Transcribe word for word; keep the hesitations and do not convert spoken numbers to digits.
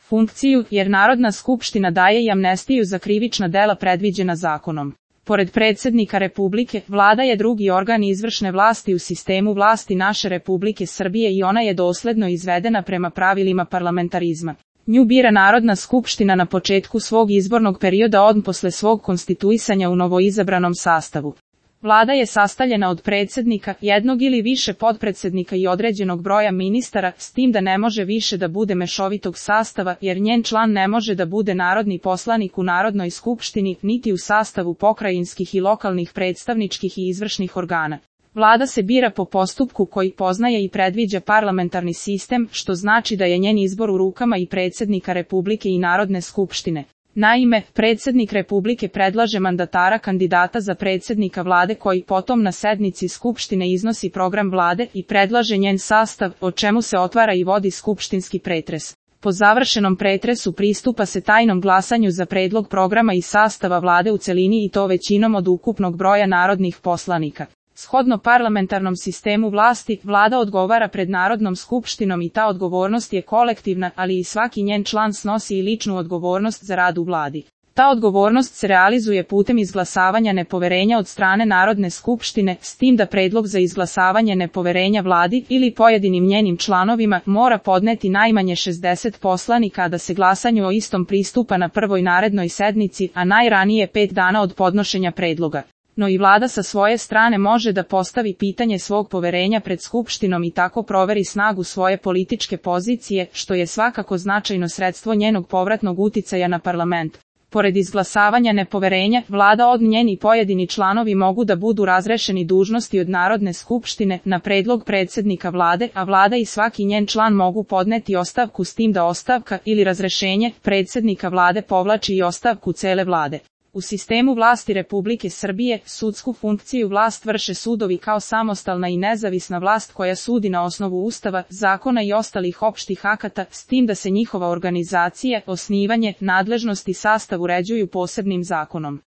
funkciju, jer Narodna skupština daje i amnestiju za krivična dela predviđena zakonom. Pored predsjednika Republike, vlada je drugi organ izvršne vlasti u sistemu vlasti naše Republike Srbije i ona je dosledno izvedena prema pravilima parlamentarizma. Nju bira Narodna skupština na početku svog izbornog perioda odmah posle svog konstituisanja u novoizabranom sastavu. Vlada je sastavljena od predsjednika, jednog ili više potpredsjednika i određenog broja ministara, s tim da ne može više da bude mešovitog sastava, jer njen član ne može da bude narodni poslanik u Narodnoj skupštini, niti u sastavu pokrajinskih i lokalnih predstavničkih i izvršnih organa. Vlada se bira po postupku koji poznaje i predviđa parlamentarni sistem, što znači da je njen izbor u rukama i predsjednika Republike i Narodne skupštine. Naime, predsjednik Republike predlaže mandatara kandidata za predsjednika vlade koji potom na sednici skupštine iznosi program vlade i predlaže njen sastav, o čemu se otvara i vodi skupštinski pretres. Po završenom pretresu pristupa se tajnom glasanju za predlog programa i sastava vlade u celini i to većinom od ukupnog broja narodnih poslanika. Shodno parlamentarnom sistemu vlasti, vlada odgovara pred Narodnom skupštinom i ta odgovornost je kolektivna, ali i svaki njen član snosi i ličnu odgovornost za rad u vladi. Ta odgovornost se realizuje putem izglasavanja nepoverenja od strane Narodne skupštine, s tim da predlog za izglasavanje nepoverenja vladi ili pojedinim njenim članovima mora podneti najmanje šezdeset poslanika, a da se glasanju o istom pristupa na prvoj narednoj sednici, a najranije pet dana od podnošenja predloga. No i vlada sa svoje strane može da postavi pitanje svog poverenja pred skupštinom i tako proveri snagu svoje političke pozicije, što je svakako značajno sredstvo njenog povratnog uticaja na parlament. Pored izglasavanja nepoverenja, vlada od njeni pojedini članovi mogu da budu razrešeni dužnosti od Narodne skupštine na predlog predsjednika vlade, a vlada i svaki njen član mogu podneti ostavku, s tim da ostavka ili razrešenje predsjednika vlade povlači i ostavku cele vlade. U sistemu vlasti Republike Srbije, sudsku funkciju vlast vrše sudovi kao samostalna i nezavisna vlast koja sudi na osnovu Ustava, zakona i ostalih opštih akata, s tim da se njihova organizacija, osnivanje, nadležnost i sastav uređuju posebnim zakonom.